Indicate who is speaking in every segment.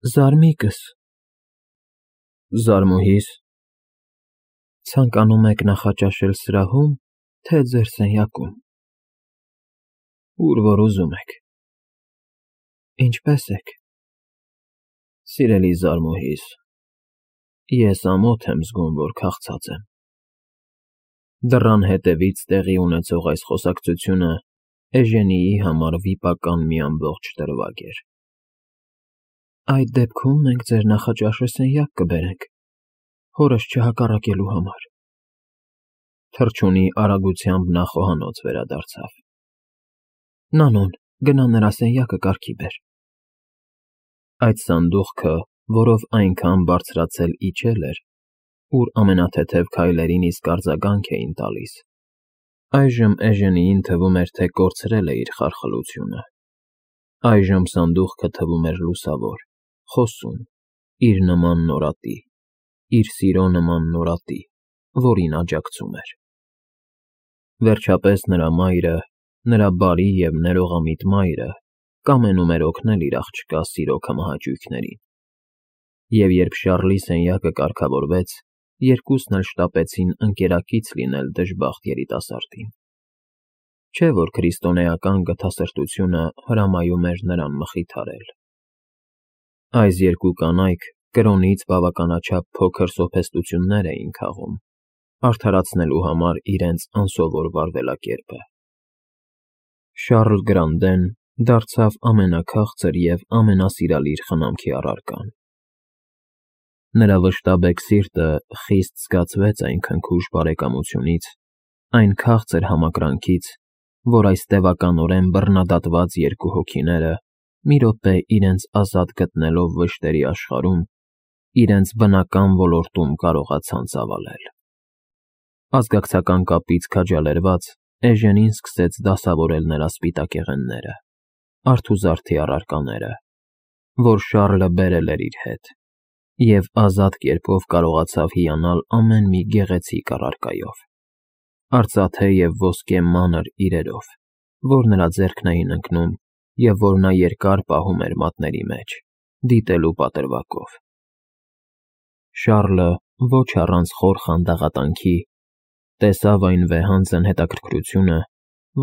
Speaker 1: Զարմիկս։ Զարմուհի՞ս։ Ցանկանում եք նախաճաշել սրահո՞ւմ, թե ձեր սենյակում։ Ուր որ ուզում եք։ Ինչպե՞ս եք։ Սիրելի զարմուհիս, ես ամոթ եմ զգում, որ քաղցած եմ։ Դռան հետևից տեղի ունեցող այս խոսակցությունը Էժենիի համար վիպական մի ամբողջ դրվագ էր։ Այդ դեպքում մենք ձեր նախաճաշը սենյակ կբերենք, հորս չհակառակելու համար։ Թռչունի արագությամբ նա խոհանոց վերադարձավ։ Նանուն, գնա նրա սենյակը կարգի բեր։ Այդ սանդուղքը, որով այնքան բարձրացել իջել էր, ուր ամենաթեթև քայլերին իսկ արձագանք էին տալիս, այժմ Էժենիին թվում էր, թե կորցրել է իր խարխլությունը։ Այժմ սանդուղքը թվում էր լուսավոր, խոսուն, իր նման նորատի, իր սիրո նման նորատի, որին աջակցում էր։ Վերջապես նրա մայրը, նրա բարի և ներողամիտ մայրը կամենում էր օգնել իր աղջկա սիրո քմահաճույքներին։ Եվ երբ Շառլի սենյակը կարգավորվեց, երկուսն էլ շտապեցին ընկերակից լինել դժբախտ երիտասարդին։ Չէ՞ որ քրիստոնեական գթասրտությունը հրամայում էր նրան մխիթարել։ Այս երկու կանայք կրոնից բավականաչափ փոքր սոփեստություններ էին քաղում, արդարացնելու համար իրենց անսովոր վարվելակերպը։ Շառլ Գրանդեն դարձավ ամենաքաղցր և ամենասիրալիր խնամքի առարկան։ Նրա վշտաբեկ սիրտը խիստ զգացվեց այն քնքուշ բարեկամությունից, այն քաղցր համակրանքից, որ այս տևականորեն բռնադատված երկու հոգիները մի րոպե իրենց ազատ գտնելով վշտերի աշխարհում, իրենց բնական ոլորտում կարողացան ծավալել։ Ազգակցական կապից քաջալերված Էժենին սկսեց դասավորել նրա սպիտակեղենները, արթուզարդի առարկաները, որ Շառլը բերել էր իր հետ, և ազատ կերպով կարողացավ հիանալ ամեն մի գեղեցիկ առարկայով, արծաթե և ոսկե մանր իրերով, որ նրա ձեռքն էին ընկնում և որ նա երկար պահում էր մատների մեջ, դիտելու պատրվակով։ Շառլը, ոչ առանց խոր խանդաղատանքի, տեսավ այն վեհանձն հետաքրքրությունը,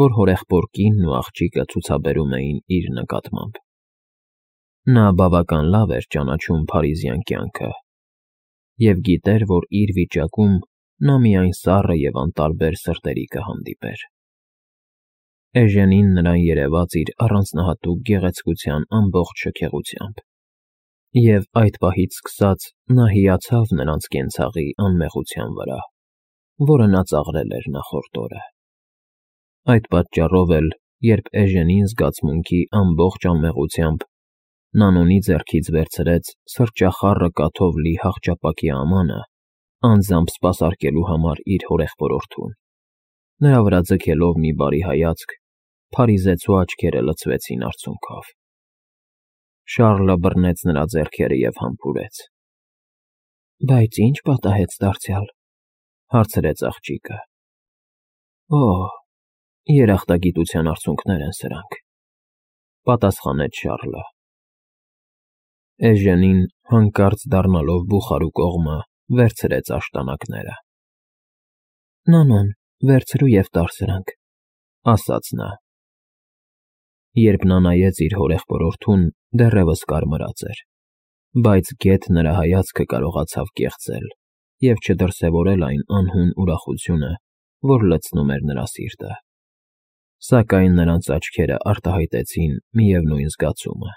Speaker 1: որ հորեղբոր կինն ու աղջիկը ցուցաբերում էին իր նկատմամբ։ Նա բավական լավ էր ճանաչում փարիզյան կյանքը և գիտեր, որ իր վիճակում նա միայն սառը և անտարբեր սրտերի կհանդիպեր։ Էժենին նրան երևաց իր առանձնահատուկ գեղեցկության ամբողջ շքեղությամբ, և այդ պահից սկսած նա հիացավ նրանց կենցաղի անմեղության վրա, որը նա ծաղրել էր նախորդ օրը։ Այդ պատճառով էլ, երբ Էժենին զգացմունքի ամբողջ անմեղությամբ Նանունի ձեռքից վերցրեց սրճախառը կաթով լի հախճապակի ամանը, անձամբ սպասարկելու համար իր հորեղբորորդուն, նրա վրա ձգելով մի բարի հայացք, փարիզեցու աչքերը լցվեցին արցունքով։ Շառլը բռնեց նրա ձեռքերը և համբուրեց։ Բայց ի՞նչ պատահեց դարձյալ, հարցրեց աղջիկը։ Օ՜, երախտագիտության արցունքներ են սրանք, պատասխանեց Շառլը։ Էժենին, հանկարծ դառնալով բուխարու կողմը, վերցրեց աշտանակները։ Նանուն, վերցրու և տար սրանք, ասաց նա։ Երբ նա նայեց իր հորեղբորորդուն, դեռևս կարմրած էր, բայց գեթ նրա հայացքը կարողացավ կեղծել և չդրսևորել այն անհուն ուրախությունը, որ լցնում էր նրա սիրտը։ Սակայն նրանց աչքերը արտահայտեցին միևնույն զգացումը,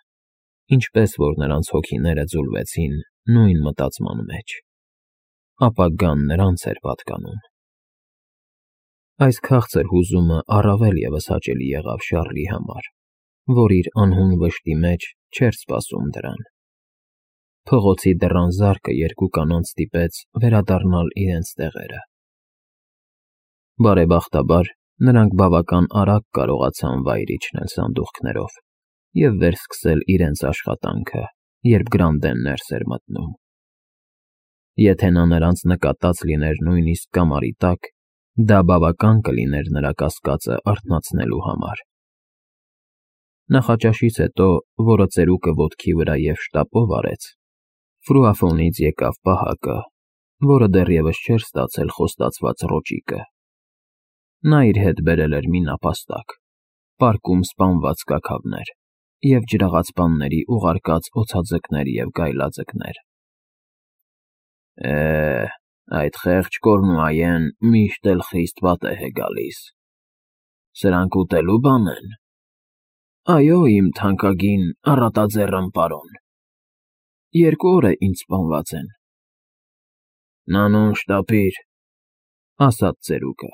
Speaker 1: ինչպես որ նրանց հոգիները ձուլվեցին նույն մտածման մեջ։ Ապագան նրանց էր պատկանում։ Այս քաղցր հուզումը առավել ևս հաճելի եղավ Շառլի համար, որ իր անհուն վշտի մեջ չէր սպասում դրան։ Փողոցի դռան զարկը երկու կանանց ստիպեց վերադառնալ իրենց տեղերը։ Բարեբախտաբար, նրանք բավական արագ կարողացան վայր իջնել սանդուղքներով և վերսկսել իրենց աշխատանքը, երբ Գրանդեն ներս էր մտնում։ Եթե նա նրանց նկատած լիներ նույնիսկ կամարի տակ, դա բավական կլիներ նրա կասկածը արթնացնելու համար։ Նախաճաշից հետո, որը ծերուկը ոտքի վրա և շտապով արեց, Ֆրուաֆոնից եկավ պահակը, որը դեռևս չէր ստացել խոստացված ռոճիկը։ Նա իր հետ բերել էր մի նապաստակ, պարկում սպանված կաքավներ և ջրաղացպանների ուղարկած օձաձկներ և գայլաձկներ։ Այդ խեղճ Կորնուայեն միշտ էլ խիստ պատեհ է գալիս։ Սրանք ուտելու բան են։ Այո, իմ թանկագին առատաձեռն պարոն, 2 օր է ինչ սպանված են։ Նանուն շտապիր, ասաց ծերուկը,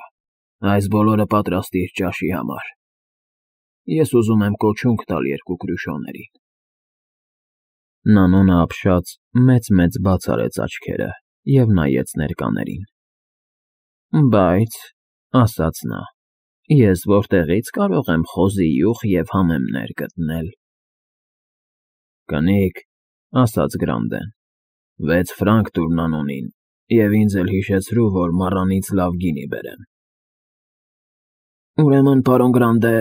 Speaker 1: այս բոլորը պատրաստիր ճաշի համար։ Ես ուզում եմ կոչունք տալ 2 կրուշոներին։ Նանոնը ապշած մեծ բաց արեց աչքերը և նայեց ներկաներին։ Բայց, ասաց նա, ես որտեղից կարող եմ խոզի յուղ և համեմներ գտնել։ Կնիկ, ասաց Գրանդեն, 6 ֆրանկ տուր Նանոնին և ինձ էլ հիշեցրու, որ մառանից լավ գինի բերեմ։ Ուրեմն, պարոն Գրանդե,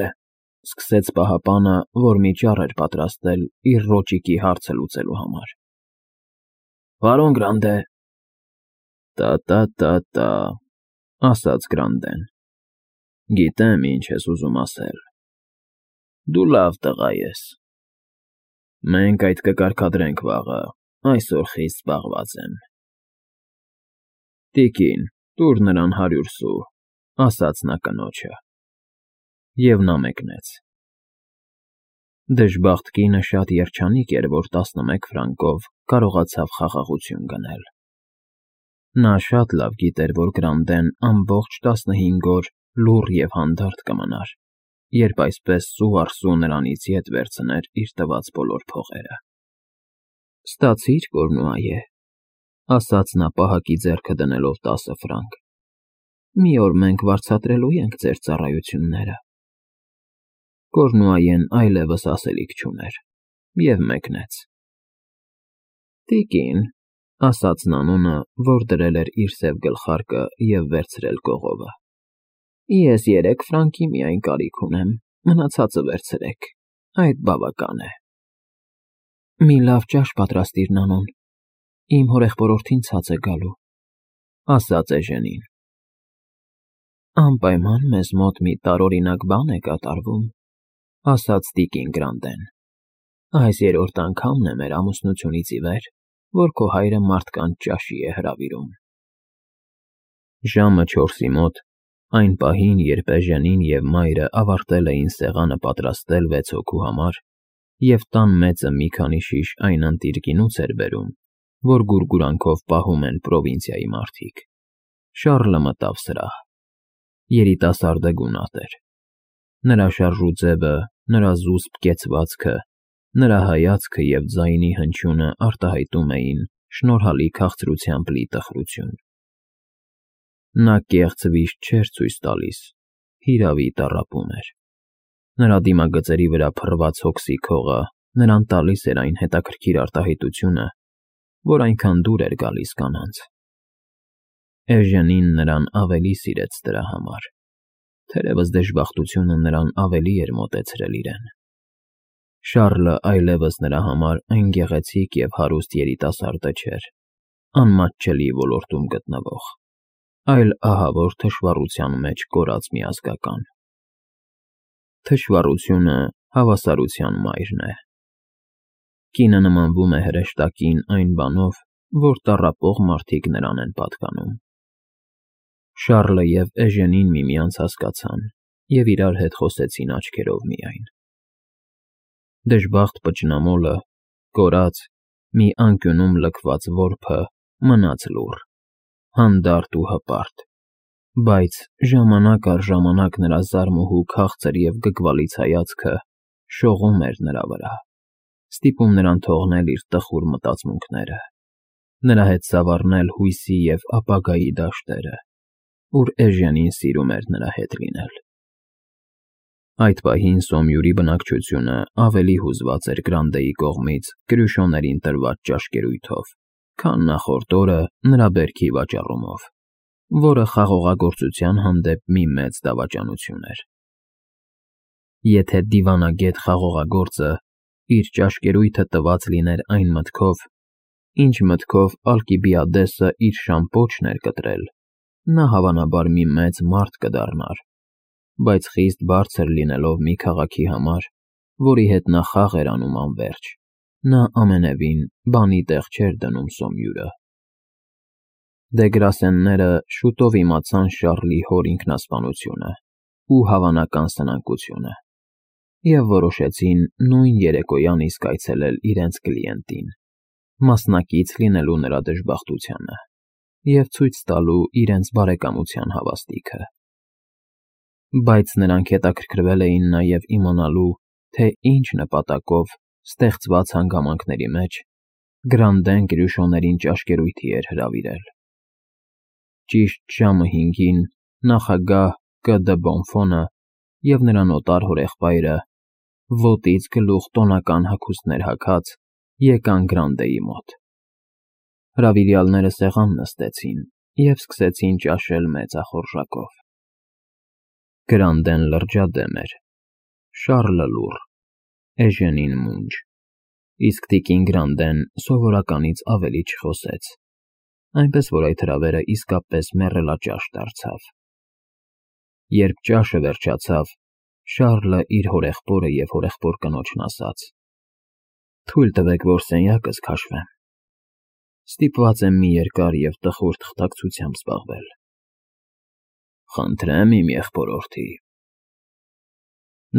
Speaker 1: սկսեց պահապանը, որ մի ճառ էր պատրաստել իր ռոճիկի հարցը լուծելու համար։ Պարոն Գրանդե… Տա, ասաց Գրանդեն, գիտեմ, ինչ ես ուզում ասել։ Դու լավ տղա ես։ Մենք այդ կկարգադրենք վաղը, այսօր խիստ զբաղված եմ։ Տիկին, տուր նրան 100 սու, ասաց նա կնոջը։ Եվ նա մեկնեց։ Դժբախտ կինը շատ երջանիկ էր, որ 11 ֆրանկով կարողացավ խաղաղություն գնել։ Նա շատ լավ գիտեր, որ Գրանդեն ամբողջ 15 օր լուռ և հանդարտ կմնար, երբ այսպես սու առ սու նրանից ետ վերցներ իր տված բոլոր փողերը։ Ստացիր, Կորնուայե, ասաց նա պահակի ձեռքը դնելով 10 ֆրանկ։ Մի օր մենք վարձատրելու ենք ձեր ծառայությունները։ Կորնուայեն այլևս ասելիք չուներ և մեկնեց։ Տիկին, ասաց Նանոնը, որ դրել էր իր սև գլխարկը և վերցրել կողովը, ես 3 ֆրանկի միայն կարիք ունեմ, մնացածը վերցրեք, այդ բավական է։ Մի լավ ճաշ պատրաստիր, Նանոն, իմ հորեղբորորդին ցած է գալու, ասաց Էժենին։ Անպայման մեզ մոտ մի տարօրինակ բան է կատարվում, ասաց տիկին Գրանդեն։ Այս 3-րդ անգամն է մեր ամուսնությունից ի վեր, որ քո հայրը մարդկանց ճաշի է հրավիրում։ Ժամը 4-ի մոտ, այն պահին, երբ Էժենին և մայրը ավարտել էին սեղանը պատրաստել 6 հոգու համար, և տան մեծը մի քանի շիշ այն ընտիր գինուց էր բերում, որ գուրգուրանքով պահում են պրովինցիայի մարդիկ, Շառլը մտավ սրահ։ Երիտասարդը գունատ էր։ Նրա շարժու ձևը, նրա զուսպ կեցվածքը, նրա հայացքը և ձայնի հնչյունը արտահայտում էին շնորհալի քաղցրությամբ լի տխրություն։ Նա կեղծ վիշտ չէր ցույց տալիս, հիրավի տառապում էր։ Նրա դիմագծերի վրա փռված հոգսի քողը նրան տալիս էր այն հետաքրքիր արտահայտությունը, որ այնքան դուր էր գալիս կանանց։ Էժենին նրան ավելի սիրեց դրա համար, թերևս դժբախտությունը նրան ավելի էր մոտեցրել իրեն։ Շառլը այլևս նրա համար այն գեղեցիկ և հարուստ երիտասարդը չէր, անմատչելի ոլորտում գտնվող, այլ ահավոր թշվառության մեջ կորած մի ազգական։ Թշվառությունը հավասարության մայրն է։ Կինը նմանվում է հրեշտակին այն բանով, որ տառապող մարդիկ նրան են պատկանում։ Շառլը և Էժենին միմյանց հասկացան և իրար հետ խոսեցին աչքերով միայն։ Դժբախտ պճնամոլը, կորած, մի անկյունում լքված որբը մնաց լուռ, հանդարտ ու հպարտ, բայց ժամանակ առ ժամանակ նրա զարմուհու քաղցր և գգվալից հայացքը շողում էր նրա վրա, ստիպում նրան թողնել իր տխուր մտածմունքները, նրա հետ ծավալնել հույսի և ապագայի դաշտերը, ուր Էժենին սիրում էր նրա հետ լինել։ Այդ պահին Սոմյուրի բնակչությունը ավելի հուզված էր Գրանդեի կողմից կրյուշոներին տրված ճաշկերույթով, քան նախորդ օրը նրա բերքի վաճառումով, որը խաղողագործության հանդեպ մի մեծ դավաճանություն էր։ Եթե դիվանագետ խաղողագործը իր ճաշկերույթը տված լիներ այն մտքով, ինչ մտքով Ալկիբիադեսը իր շամպոչն էր կտրել, նա հավանաբար մի մեծ մարդ կդառնար, բայց խիստ բարձր լինելով մի քաղաքի համար, որի հետ նա խաղ էր անում անվերջ, նա ամենևին բանի տեղ չէր դնում Սոմյուրը։ Դեգրասենները շուտով իմացան Շառլի հոր ինքնասպանությունը ու հավանական սնանկությունը և որոշեցին նույն երեկոյան իսկ այցելել իրենց կլիենտին, մասնակից լինելու նրա դժբախտությանը և ցույց տալու իրենց բարեկամության հավաստիքը։ Բայց նրանք հետաքրքրվել էին նաև իմանալու, թե ինչ նպատակով ստեղծված հանգամանքների մեջ Գրանդեն Կրյուշոներին ճաշկերույթի էր հրավիրել։ Ճիշտ ժամը 5-ին նախագահ Կ.Դ. Բոնֆոնը և նրա նոտար հորեղբայրը, ոտից գլուխ տոնական հագուստներ հագած, եկան Գրանդեի մոտ։ Հրավիրյալները սեղան նստեցին և սկսեցին ճաշել մեծախորժակով։ Գրանդեն լրջադեմ էր, Շառլը լուռ, Էժենին մունջ, իսկ տիկին Գրանդեն սովորականից ավելի չխոսեց, այնպես որ այդ հրավերը իսկապես մեռելաճաշ դարձավ։ Երբ ճաշը վերջացավ, Շառլը իր հորեղբորը և հորեղբոր կնոջն ասաց. «Թույլ տվեք, որ սենյակս քաշվեմ։ Ստիպված եմ մի երկար և տխուր թղթակցությամբ զբաղվել»։ «Խնդրեմ, իմ եղբորորդի»։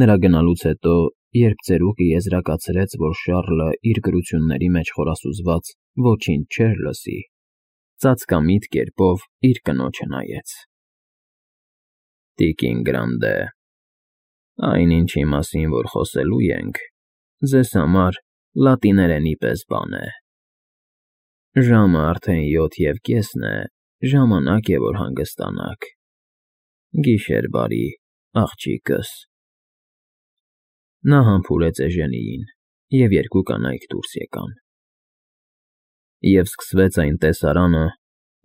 Speaker 1: Նրա գնալուց հետո, երբ ծերուկը եզրակացրեց, որ Շառլը իր գրությունների մեջ խորասուզված ոչինչ չէր լսի, ծածկամիտ կերպով իր կնոջը նայեց։ «Տիկին Գրանդե, այն, ինչի մասին որ խոսելու ենք, ձեզ համար լատիներենի պես բան է։ Ժամը արդեն 7:30 է, ժամանակ է, որ հանգստանաք։ Գիշեր բարի, աղջիկս»։ Նա համբուրեց Էժենիին, և երկու կանայք դուրս եկան։ Եվ սկսվեց այն տեսարանը,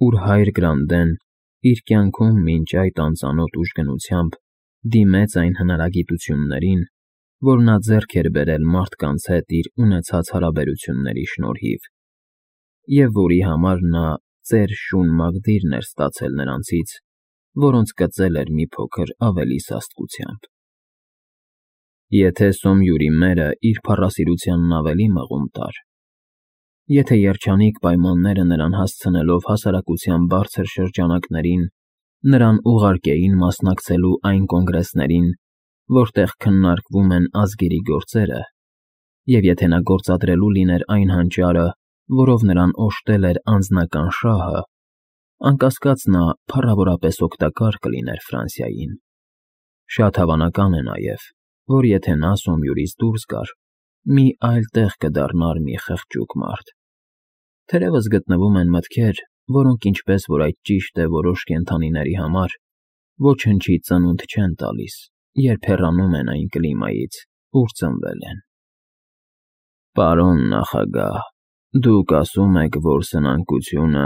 Speaker 1: ուր հայր Գրանդեն իր կյանքում մինչ այդ անծանոթ ուժգնությամբ դիմեց այն հնարագիտություններին, որ նա ձեռք էր բերել մարդկանց հետ իր ունեցած հարաբերությունների շնորհիվ, և որի համար նա ծեր շուն Մագդիրն էր ստացել նրանցից, որոնց կծել էր մի փոքր ավելի սաստկությամբ։ Եթե Սոմյուրի մերը իր փառասիրությանն ավելի մղում տար, եթե երջանիկ պայմանները նրան հասցնելով հասարակության բարձր շրջանակներին նրան ուղարկեին մասնակցելու այն կոնգրեսներին, որտեղ քննարկվում են ազգերի գործերը, և եթե նա գործադրելու լիներ այն հանճարը, որով նրան օժտել էր անձնական շահը, անկասկած նա փառավորապես օգտակար կլիներ Ֆրանսիային։ Շատ հավանական է նաև, որ եթե նա Սոմյուրից դուրս գար, մի այլ տեղ կդառնար մի խղճուկ մարդ։ Թերևս գտնվում են մտքեր, որոնք, ինչպես որ այդ ճիշտ է որոշ կենդանիների համար, ոչնչի ծնունդ չեն տալիս, երբ հեռանում են այն կլիմայից, ուր ծնվել են։ Պարոն նախագահ, դուք ասում եք, որ սնանկությունը